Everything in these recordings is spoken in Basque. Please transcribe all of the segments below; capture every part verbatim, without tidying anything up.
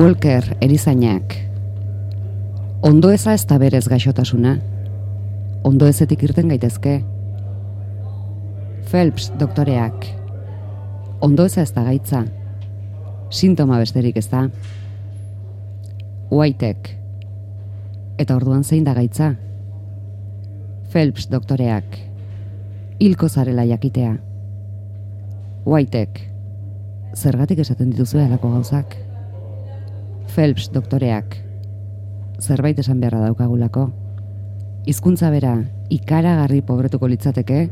Walker erizainak. Ondo eza ez da berez gaixotasuna. Ondo ezetik irten gaitezke. Phelps doktoreak. Ondo eza ez da gaitza. Sintoma besterik ez da. Whitek. Eta orduan zein da gaitza? Phelps doktoreak. Hilko zarela jakitea. Whitek. Zergatik esaten dituzue halako gauzak? Phelps doktoreak. Zerbait esan beharra daukagulako. Hizkuntza bera ikaragarri pobretuko litzateke,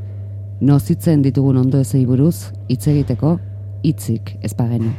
nozitzen ditugun ondo ezei buruz hitz egiteko hitzik ez bagenu.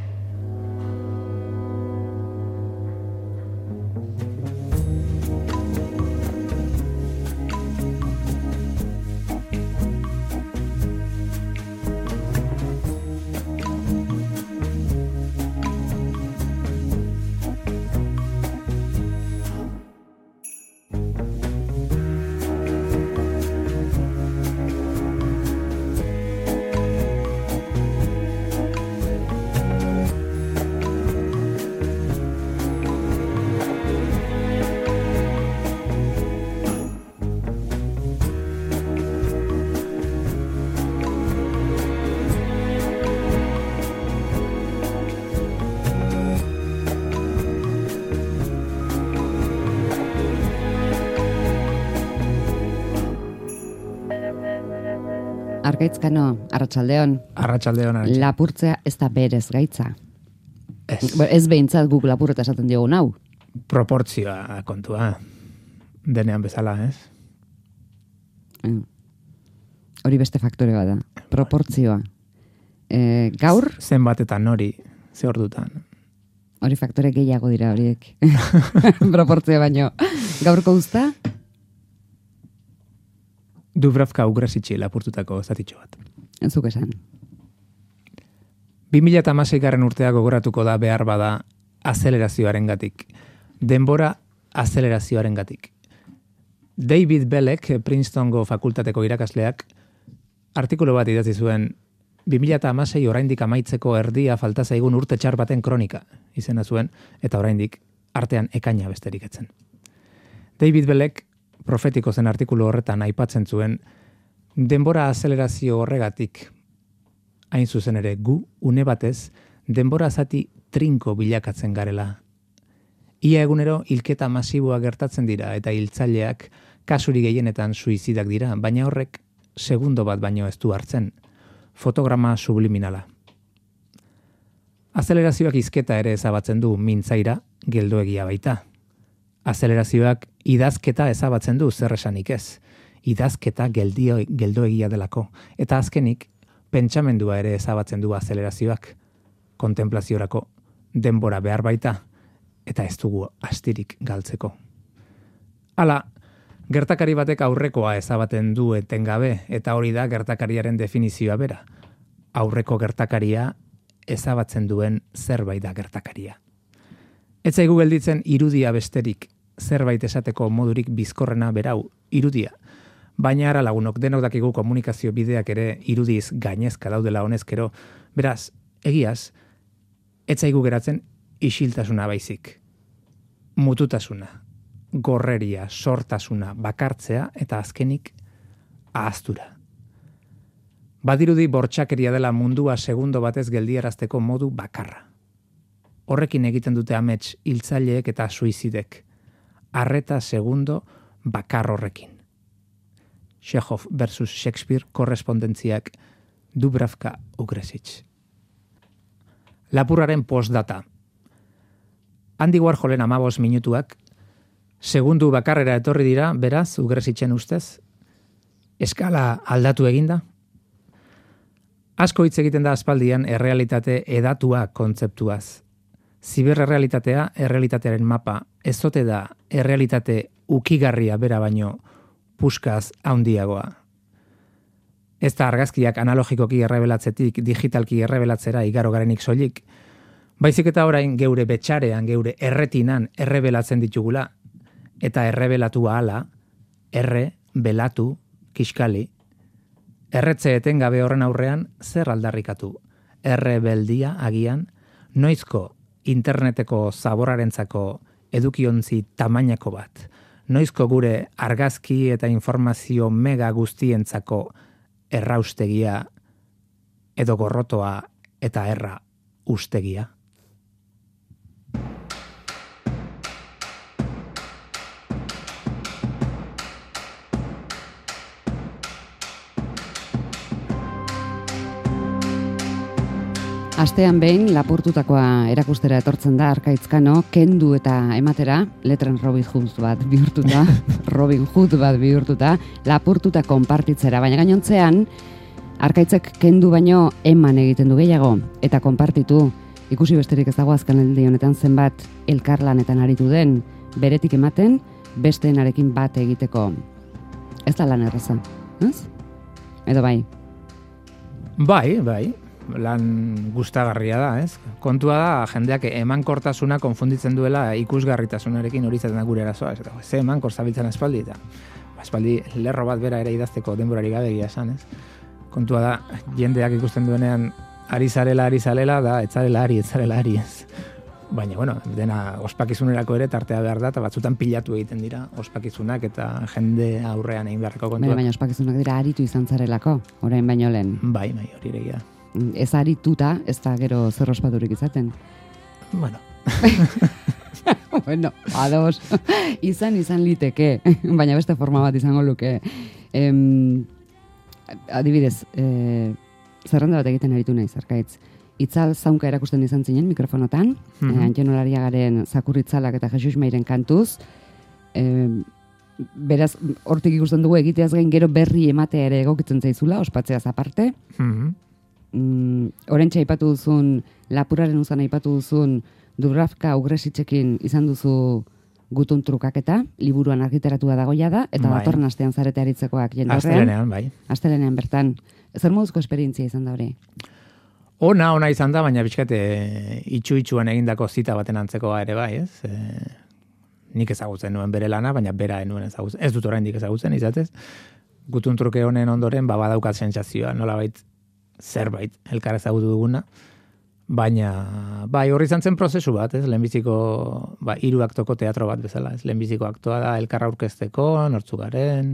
Argaitzkano, arratsaldeon. Arratsaldeon. Lapurtzea ez da berez gaitza. Ez. Ez behintzat guk lapurreta esaten diogun hau. Proportzioa kontua. Denean bezala, ez? Mm. Hori beste faktore bada. Proportzioa. E, gaur? Zenbatetan hori, ze ordutan. Hori faktore gehiago dira horiek. Proportzioa baino. Gaurko uzta? Dubravka Ugrasitxi lapurtutako zatitxo bat. Zuk esan. bi mila hamasei garren urtea gogoratuko da behar bada azelerazioaren gatik. Denbora azelerazioaren gatik. David Belek, Princetongo fakultateko irakasleak, artikulu bat idatzi zuen bi mila hamasei oraindik amaitzeko erdia falta zaigun urte txar baten kronika izena zuen, eta oraindik artean ekaina besterik etzen. David Belek profetiko zen artikulu horretan aipatzen zuen denbora azelerazio horregatik hain zuzen ere gu une batez denbora zati trinko bilakatzen garela. Ia egunero hilketa masiboa gertatzen dira eta hiltzaileak kasuri gehienetan suizidak dira, baina horrek segundo bat baino ez du hartzen. Fotograma subliminala. Azelerazioak hizketa ere ezabatzen du mintzaira geldoegia baita. Azelerazioak idazketa ezabatzen du zer esanik ez. Idazketa geldio, geldoegia delako. Eta azkenik, pentsamendua ere ezabatzen du azelerazioak. Kontemplaziorako denbora behar baita, eta ez dugu astirik galtzeko. Hala, gertakari batek aurrekoa ezabaten du etengabe, eta hori da gertakariaren definizioa bera. Aurreko gertakaria ezabatzen duen zerbait da gertakaria. Ez zaigu gelditzen irudia besterik, zerbait esateko modurik bizkorrena berau, irudia. Baina ara lagunok denok dakigu komunikazio bideak ere irudiz gainezka daudela honezkero. Beraz, egiaz, ez zaigu geratzen isiltasuna baizik. Mututasuna, gorreria, sortasuna, bakartzea eta azkenik ahaztura. Badirudi bortxakeria dela mundua segundo batez geldiarazteko modu bakarra. Horrekin egiten dute amets hiltzaileek eta suizidek. Arreta segundo bakar horrekin. Chekhov versus Shakespeare korrespondentziak Dubravka Ugrasitx. Lapurraren postdata. Andy Warholen amabos minutuak segundu bakarrera etorri dira, beraz, Ugrasitxen ustez. Eskala aldatu eginda. Asko hitz egiten da aspaldian errealitate edatua kontzeptuaz. Ziberrealitatea, errealitatearen mapa, ez ote da errealitate ukigarria bera baino puskaz handiagoa. Ez da argazkiak analogikoki errebelatzetik digitalki errebelatzera igaro garenik soilik, baizik eta orain geure betxarean, geure erretinan errebelatzen ditugula, eta errebelatua hala, erre, belatu, kiskali. Erretze etengabe horren aurrean zer aldarrikatu? Errebeldia agian, noizko interneteko zaborarentzako edukiontzi tamainako bat, noizko gure argazki eta informazio mega guztientzako erraustegia edo gorrotoa eta erra ustegia. Astean behin lapurtutakoa erakustera etortzen da Arkaitzkano, kendu eta ematera, letren Robin Hood bat bihurtuta, Robin Hood bat bihurtuta, lapurtuta konpartitzera, baina gainontzean, Arkaitzek kendu baino eman egiten du gehiago, eta konpartitu, ikusi besterik ez dago azken aldi honetan zenbat elkarlanetan aritu den, beretik ematen, besteenarekin bat egiteko. Ez da lan erraza, ez? Edo bai? Bai, bai. Lan gustagarria da, ez? Kontua da, jendeak emankortasuna konfunditzen duela ikusgarritasunarekin hori zaten da gure erazoa. Ez, ze emankor zabiltzen aspaldi, eta aspaldi lerro bat bera ere idazteko denborari gabe egia esan, ez? Kontua da, jendeak ikusten duenean ari zarela, ari zarela, da, etzarela ari, etzarela ari, ez? Baina, bueno, dena ospakizunerako ere tartea behar da, eta batzutan pilatu egiten dira ospakizunak eta jende aurrean egin beharreko kontua. Baina, baina ospakizunak dira aritu izan zarelako, orain baino lehen. Bai, bai, hori egia. Ez arituta, ez da gero zer ospaturik izaten. Bueno. Bueno, ados. Izan, izan liteke, baina beste forma bat izango luke. Em, adibidez, e, zerrenda bat egiten aritu naiz, Arkaitz. Itzal zaunka erakusten izan zinen mikrofonotan, mm-hmm. e, Antxen Olariagaren Zakurritzalak eta Jesus Mairen kantuz, e, beraz, hortik ikusten dugu egiteaz gain gero berri ematea ere egokitzen zaizula, ospatzeaz aparte. Mm-hmm. Mm, orentxe aipatu duzun, lapuraren uzan aipatu duzun, Dubravka Ugresitzekin izan duzu gutun trukaketa, liburuan argiteratua dagoia da, eta bai. Datorren astean zarete aritzekoak jende horrean. Astelenean, bai. Astelenean bertan. Zer moduzko esperientzia izan da hori? Ona, ona izan da, baina bizkate itxu-itxuan egindako zita baten antzekoa ere bai, ez? E, nik ezagutzen nuen bere lana, baina bera enuen ezagutzen. Ez dut oraindik ezagutzen, izatez. Gutun truke honen ondoren, ba, badaukat sentsazioa, nolabait zerbait elkar ezagutu duguna, baina bai horri izan zen prozesu bat, ez, lehenbiziko ba, hiru aktoko teatro bat bezala, ez, lehenbiziko aktoa da elkar aurkezteko, nortzu garen,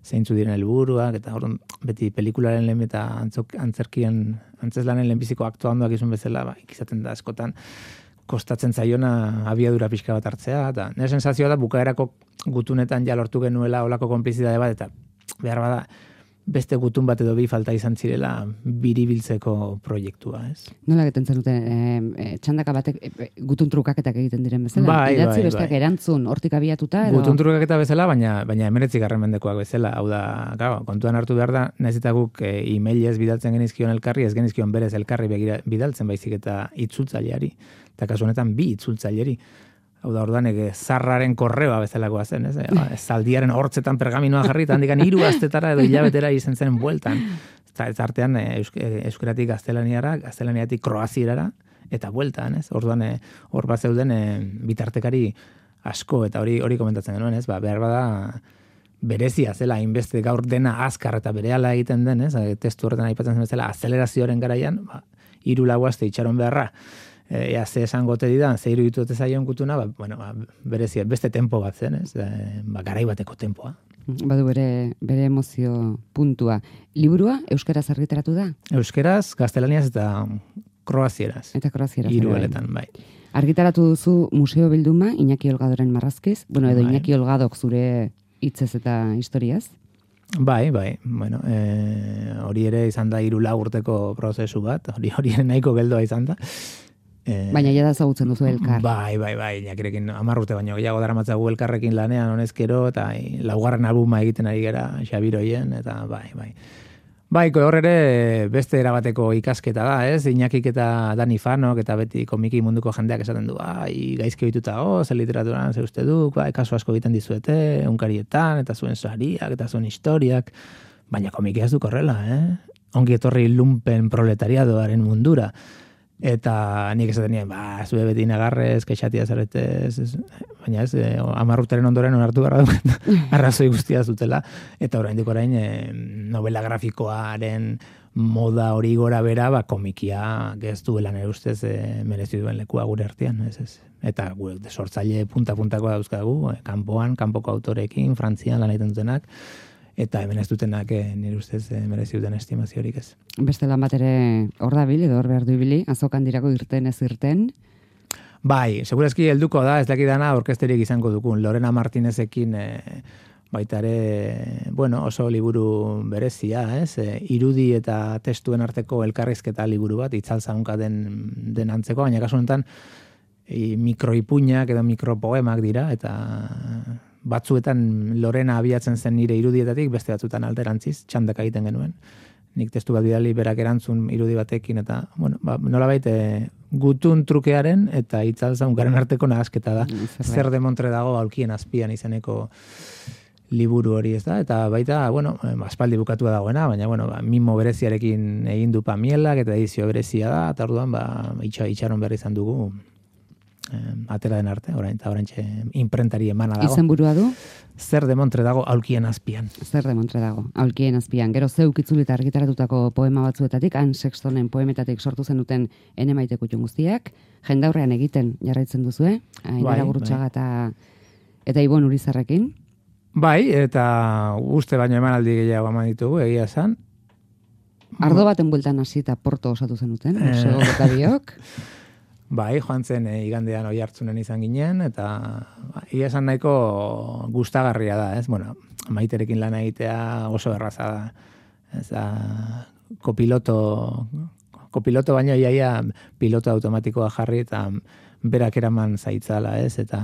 zeintzu diren helburuak, eta orduan beti pelikularen lehen eta antzok, antzerkien, antzeslanen lehenbiziko aktoa ondoak izun bezala, ba, ikizaten da askotan, kostatzen zaiona abiadura pixka bat hartzea, eta nire sensazioa da bukaerako gutunetan ja lortu genuela olako konplizidade bat, eta behar bada, beste gutun bat edo bi falta izan zirela biribiltzeko proiektua, ez? Nola egiten zenuten, e, e, txandaka batek e, gutun trukaketak egiten diren bezala? Bai, idatzi bai, besteak bai. Erantzun, hortik abiatuta? Edo? Gutun trukaketa bezala, baina baina hemeretzi garren mendekoak bezala, hau da, gau, kontuan hartu behar da, nahiz eta guk e, emailez bidaltzen genizkion elkarri, ez genizkion berez elkarri begira, bidaltzen baizik eta itzultzaileari, eta kasu honetan bi itzultzaileri. Hau da, orduan, ege, zarraren korreoa bezalakoa zen, ez? E, zaldiaren hortzetan pergaminoa jarri, eta handikan hiru astetara edo hilabetera izen zen bueltan. Eta ez artean, eusk, euskeratik gaztelaniara, gaztelaniatik kroazierara, eta bueltan, ez? Orduan, e, hor bat zeuden e, bitartekari asko, eta hori hori komentatzen genuen, ez? Ba, behar bada, berezia zela, hainbeste gaur dena azkar eta berehala egiten den, ez? Testu horretan aipatzen zen bezala, azelerazioaren garaian, ba, hiru lau aste itxaron beharra, ea ze esan gote didan, ze iruditu dute zaion gutuna, ba, bueno, ba, berezia, beste tempo bat zen, ez? E, ba, garai bateko tempoa. Badu bere, bere emozio puntua. Liburua euskaraz argitaratu da? Euskaraz, gaztelaniaz eta kroazieraz. Eta kroazieraz. Hirueletan, bai. Argitaratu duzu Museo Bilduma, Iñaki Olgadoren marrazkiz, bueno, edo bai. Iñaki Olgadok zure hitzez eta historiaz? Bai, bai, bueno, e, hori ere izan da hiru lau urteko prozesu bat, hori hori ere nahiko geldoa izan da. Eh, Baina ja da ezagutzen duzu elkar. Bai, bai, bai, Iñakirekin hamar urte baino gehiago daramatzagu elkarrekin lanean honezkero, eta e, laugarren albuma egiten ari gara Xabiroien, eta bai, bai. Bai, hor ere beste erabateko ikasketa da, ez? Iñakik eta Dani Fanok eta beti komiki munduko jendeak esaten du, ai, gaizki ohituta, oh, ze literaturan ze uste duk, bai, kasu asko egiten dizuete, unkarietan, eta zuen sariak, eta zuen historiak, baina komikia ez duk horrela, eh? Ongi etorri lumpen proletariadoaren mundura. Eta nik esaten nien, ba, zue beti nagarrez, kexatia zaretez, baina ez, eh, amarrutaren ondoren onartu gara dut, arrazoi guztia zutela, eta oraindik orain eh, novela grafikoaren moda hori gora bera, ba, komikia ez duela nire ustez e, merezi duen lekua gure artean, ez ez. Eta gure sortzaile punta-puntakoa dauzkagu, e, kanpoan, kanpoko autorekin, Frantzian lan egiten dutenak, eta hemen ez dutenak e, nire ustez e, merezi duten estimaziorik ez. Beste lan bat ere hor dabil, edo hor behar du ibili, azokan dirako irten ez irten. Bai, segurazki helduko da, ez dakidana orkesterik izango dukun. Lorena Martinezekin e, baita ere, bueno, oso liburu berezia, ez? E, irudi eta testuen arteko elkarrizketa liburu bat, itzalzaunka den, den antzeko, baina kasu honetan e, mikroipuinak edo mikropoemak dira, eta batzuetan Lorena abiatzen zen nire irudietatik, beste batzuetan alderantziz, txandaka egiten genuen. Nik testu bat bidali berak erantzun irudi batekin, eta, bueno, ba, nolabait e, gutun trukearen eta itzalzaunkaren arteko nahasketa da. Zer de Montre dago aulkien azpian izeneko liburu hori, ez da? Eta baita, bueno, aspaldi bukatua dagoena, baina, bueno, ba, mimo bereziarekin egin du Pamielak, eta edizio berezia da, eta orduan, ba, itxa, itxaron berri izan dugu, eh, atera den arte, orain, eta orain imprentari emana dago. Izen burua du? Zer de Montre dago aulkien azpian. Zer de Montre dago, aulkien azpian. Gero zeuk itzulita argitaratutako poema batzuetatik, Han Sextonen poemetatik sortu zen duten ene maite kutxun guztiak, jendaurrean egiten jarraitzen duzue, Ainara bai, Gurutxaga eta, eta Ibon Urizarrekin. Bai, eta uste baino emanaldi gehiago eman ditugu, egia esan. Ardo baten bueltan hasi eta porto osatu zenuten, museo eta biok. Bai, joan zen e, igandean oi hartzunen izan ginen, eta ba, egia esan nahiko gustagarria da, ez? Bueno, Maiterekin lan egitea oso erraza da. Ez da, kopiloto, kopiloto baino iaia piloto automatikoa jarri, eta berak eraman zaitzala, ez? Eta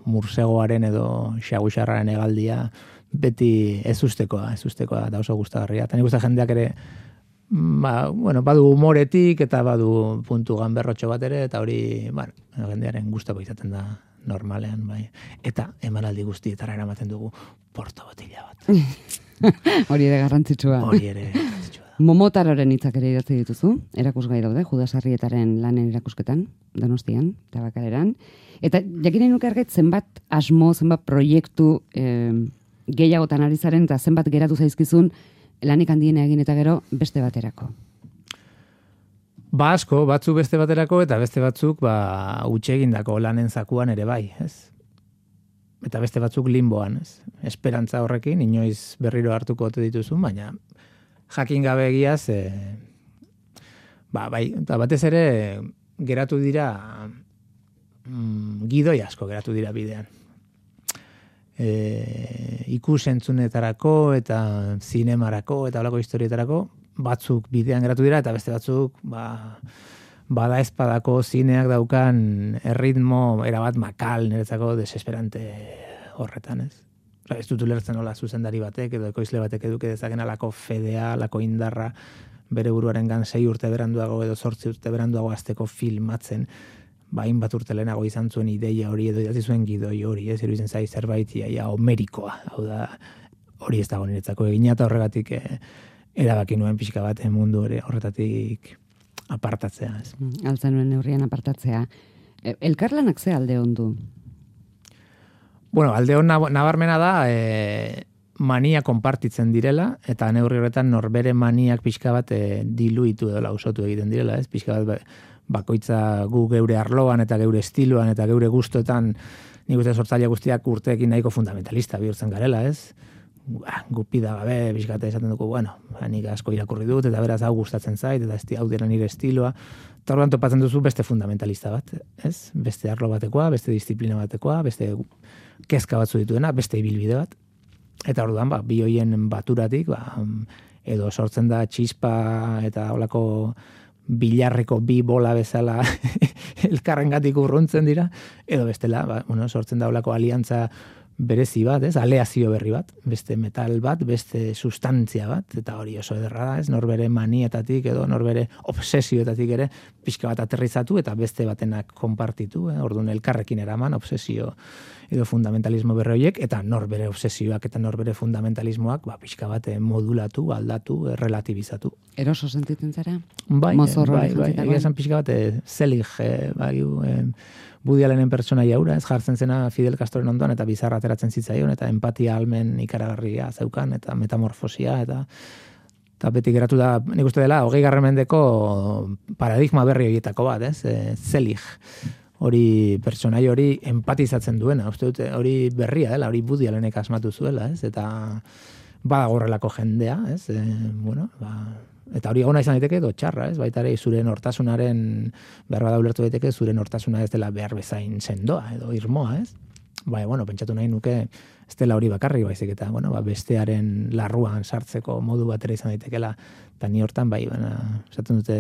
mursegoaren edo xaguxarraren hegaldia beti ez ustekoa, ez ustekoa da oso gustagarria. Eta nik uste jendeak ere, ba, bueno, badu humoretik eta badu puntu ganberrotxo bat ere, eta hori, bueno, jendearen gustako izaten da normalean, bai. Eta emanaldi guztietara eramaten dugu porto botila bat. Hori ere garrantzitsua. Hori ere garrantzitsua. Momotaroren hitzak ere idatzi dituzu, erakusgai daude, Judas Arrietaren lanen erakusketan, Donostian, Tabakaleran. Eta jakinen nuke argait zenbat asmo, zenbat proiektu eh, gehiagotan ari zaren, eta zenbat geratu zaizkizun lanik handiena egin eta gero beste baterako. Ba asko, batzuk beste baterako eta beste batzuk ba utxe egindako lanen zakuan ere bai, ez? Eta beste batzuk limboan, ez? Esperantza horrekin inoiz berriro hartuko ote dituzun, baina jakin gabe egiaz, e, ba, bai, eta batez ere geratu dira mm, gidoi asko geratu dira bidean. E, ikus-entzunetarako eta zinemarako eta holako historietarako batzuk bidean geratu dira eta beste batzuk ba, bada espadako zineak daukan erritmo erabat makal niretzako desesperante horretan, ez? Ez dut ulertzen nola zuzendari batek edo ekoizle batek eduke dezaken alako fedea, alako indarra bere buruaren gan sei urte beranduago edo zortzi urte beranduago azteko filmatzen, bain bat urte lehenago izan zuen ideia hori edo idatzi zuen gidoi hori, ez iruditzen zai zerbait iaia homerikoa, hau da hori ez dago niretzako egina eta horregatik eh, erabaki nuen pixka bat mundu ere horretatik apartatzea. Ez. Altzen nuen neurrian apartatzea. Elkarlanak ze alde ondu? Bueno, alde hon nabarmena da e, mania konpartitzen direla, eta neurri horretan norbere maniak pixka bat e, diluitu edo lausotu egiten direla, ez? Pixka bat bakoitza gu geure arloan eta geure estiloan eta geure gustoetan nik uste sortzaile guztiak urteekin nahiko fundamentalista bihurtzen garela, ez? Gupida gabe, pixkate esaten dugu, bueno, nik asko irakurri dut, eta beraz hau gustatzen zait, eta esti, hau dira nire estiloa. Eta orduan topatzen duzu beste fundamentalista bat, ez? Beste arlo batekoa, beste disiplina batekoa, beste kezka batzu dituena, beste ibilbide bat. Eta orduan, ba, bi hoien baturatik, ba, edo sortzen da txispa eta holako bilarreko bi bola bezala elkarrengatik urruntzen dira, edo bestela, ba, bueno, sortzen da holako aliantza berezi bat, ez? Aleazio berri bat, beste metal bat, beste sustantzia bat, eta hori oso ederra da, ez? Norbere manietatik edo norbere obsesioetatik ere pixka bat aterrizatu eta beste batenak konpartitu, eh? Orduan elkarrekin eraman obsesio edo fundamentalismo berri horiek, eta norbere obsesioak eta norbere fundamentalismoak ba, pixka bat modulatu, aldatu, relatibizatu. Eroso sentitzen zara? Bai, bai, bai, egia esan pixka bat zelig, eh, bai, eh, Woody Allenen pertsona jaura, ez jartzen zena Fidel Castroren ondoan, eta bizarra ateratzen zitzaion, eta empatia almen ikaragarria zeukan, eta metamorfosia, eta Eta beti geratu da, nik uste dela, hogei garren mendeko paradigma berri horietako bat, ez? E, Zelig. Hori, personai hori empatizatzen duena. Uste dute, hori berria dela, hori Woody Allenek asmatu zuela, ez? Eta badago horrelako jendea, ez? E, bueno, ba, eta hori egona izan daiteke edo txarra, ez? Baita ere, zure nortasunaren, behar bada ulertu daiteke, zure nortasuna ez dela behar bezain sendoa edo irmoa, ez? Bai, bueno, pentsatu nahi nuke ez dela hori bakarrik baizik eta, bueno, ba, bestearen larruan sartzeko modu batera izan daitekela, eta ni hortan bai, baina, esaten dute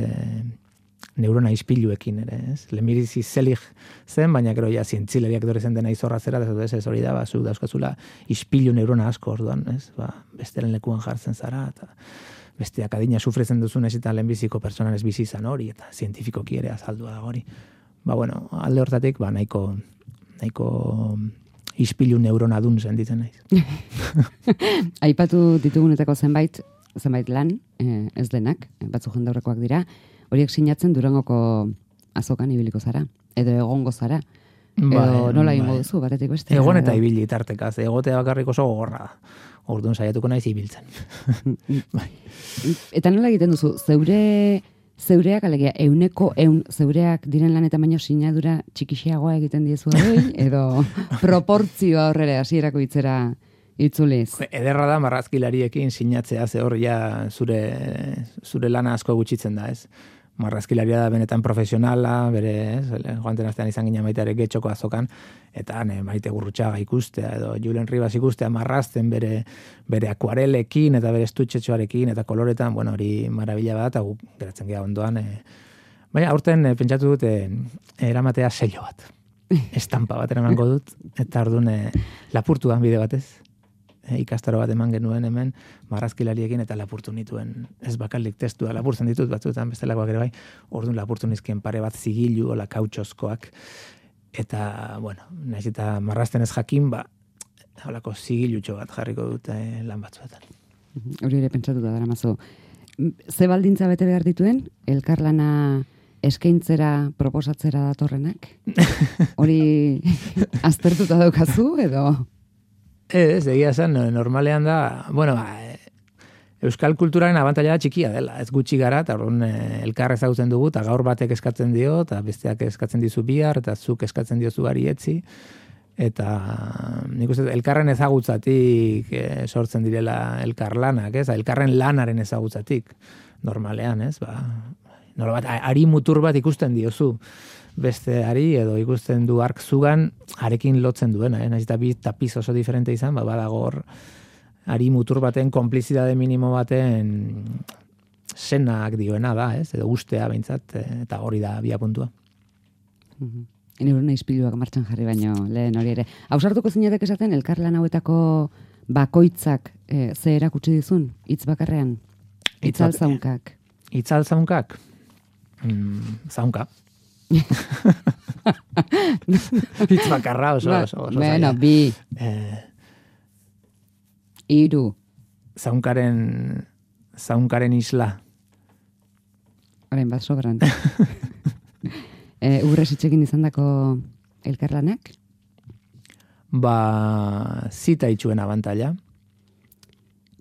neurona ispiluekin ere, ez? Lemirizi Zelig zen, baina gero ja zientzileriak dore zen dena izorra zera, ez ez hori da, ba, zu dauzkazula ispilu neurona asko orduan, ez? Ba, besteren lekuan jartzen zara, eta besteak adina sufretzen duzun ez eta lehenbiziko personan ez bizi izan hori, eta zientifikoki ere azaldua da hori. Ba, bueno, alde hortatik, ba, nahiko nahiko ispilu neurona dun senditzen naiz. Aipatu ditugunetako zenbait, zenbait lan, eh, ez denak, batzu jendaurrekoak dira, horiek sinatzen Durangoko azokan ibiliko zara, edo egongo zara. Edo Bai, nola egingo bai. duzu, batetik beste. Egon eta ibili tartekaz, egotea bakarrik oso gogorra da. Orduan saiatuko naiz ibiltzen. Bai. Eta nola egiten duzu, zeure zeureak, alegia, euneko eun zeureak diren lanetan baino sinadura txikixiagoa egiten diezu hori, edo proportzioa horrela hasierako hitzera itzuliz. Ederra da marrazkilariekin sinatzea, ze hor ja zure, zure lana asko gutxitzen da, ez? Marrazkilaria da benetan profesionala, bere, ez? Joanten astean izan gina maite ere Getxoko azokan, eta ne, Maite Gurrutxaga ikustea, edo Julen Ribas ikustea marrazten bere, bere akuarelekin, eta bere estutxetxoarekin, eta koloretan, bueno, hori marabila bat, eta gu, geratzen geha ondoan, e, baina aurten e, pentsatu dut, e, eramatea sello bat. Estampa bat eramango dut, eta orduan e, lapurtuan bide batez. E, ikastaro bat eman genuen hemen marrazkilariekin eta lapurtu nituen ez bakarrik testua lapurtzen ditut batzuetan bestelakoak ere bai, orduan lapurtu nizkien pare bat zigilu ola kautxozkoak eta, bueno, naiz eta marrazten ez jakin, ba, holako zigilutxo bat jarriko dute lan batzuetan. Hori ere pentsatuta dara mazu. Ze baldintza bete behar dituen, elkarlana eskaintzera proposatzera datorrenak? Hori aztertuta daukazu edo? Ez, egia zen, normalean da, bueno, ba, euskal kulturaren abantaila txikia dela, ez gutxi gara, eta orduan elkar ezagutzen dugu, eta gaur batek eskatzen dio, eta besteak eskatzen dizu bihar, eta zuk eskatzen diozu ari etzi, eta nik uste, elkarren ezagutzatik e, sortzen direla elkar lanak, ez? Elkarren lanaren ezagutzatik, normalean, ez? Ba, nola bat, ari mutur bat ikusten diozu, beste ari edo ikusten du ark zugan arekin lotzen duena, eh? Naiz eta bi tapiz oso diferente izan, ba, badago hor ari mutur baten konplizidade minimo baten senak dioena da, ez? Edo ustea behintzat, eta hori da bia puntua. Mhm. Neurona ispiluak martxan jarri baino lehen hori ere. Ausartuko zinatek esaten elkarlan hauetako bakoitzak e, ze erakutsi dizun hitz bakarrean? Itzal zaunkak. Itzal zaunkak? Mm, zaunka. Hitz bakarra oso, oso, oso bueno, bi. Eh, Iru. Zaunkaren, zaunkaren isla. Horain bat sobran. e, Urresitxekin izan dako elkarlanak? Ba, zita itxuen abantaila.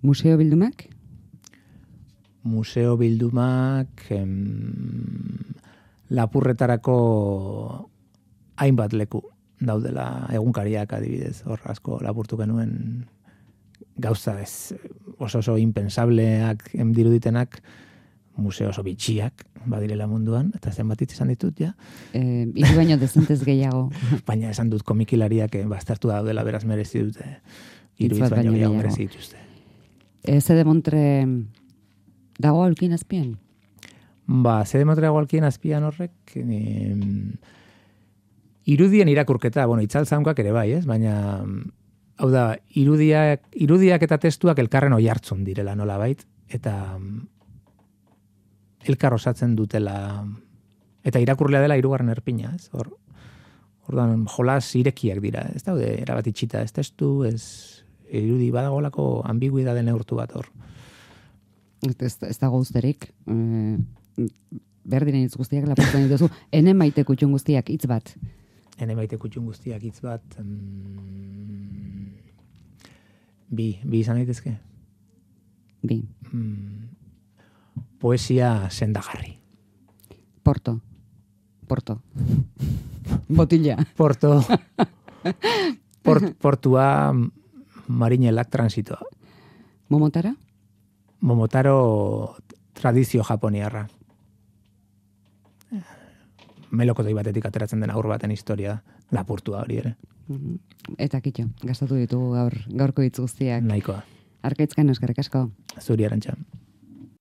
Museo bildumak? Museo bildumak... Em, lapurretarako hainbat leku daudela egunkariak adibidez, hor asko lapurtu genuen gauza ez oso oso impensableak diruditenak, museo oso bitxiak badirela munduan, eta zenbat izan ditut, ja. Eh, Iru baino dezentez gehiago. Baina esan dut komikilariak baztertu daudela beraz merezi dute. Iru hitz baino gehiago merezi dituzte. Eh, Zede Montre dago aulkin azpian? Ba, zede motrego alkien azpian horrek, e, irudien irakurketa, bueno, itzal zaunkak ere bai, ez? Baina, hau da, irudiak, irudiak eta testuak elkarren oi hartzun direla nola bait, eta elkar osatzen dutela, eta irakurlea dela hirugarren erpina, ez? Hor, orduan, jolas irekiak dira, ez daude, erabat itxita, ez testu, ez irudi badagolako ambiguidade neurtu bat hor. Ez, ez dago usterik, eh, behar diren hitz guztiak lapurtzen dituzu, ene maite kutxun guztiak hitz bat. Ene maite kutxun guztiak hitz bat, mm, bi, bi izan daitezke? Bi. Mm, poesia sendagarri. Porto. Porto. Botilla. Porto. Port, portua marinelak transitoa. Momotara? Momotaro tradizio japoniarra. Melokotoi batetik ateratzen den aur baten historia, lapurtua hori ere. Eta kitxo, gastatu ditugu gaur, gaurko hitz guztiak. Nahikoa. Arkaitzkan eskerrik asko. Zuri Arantxa.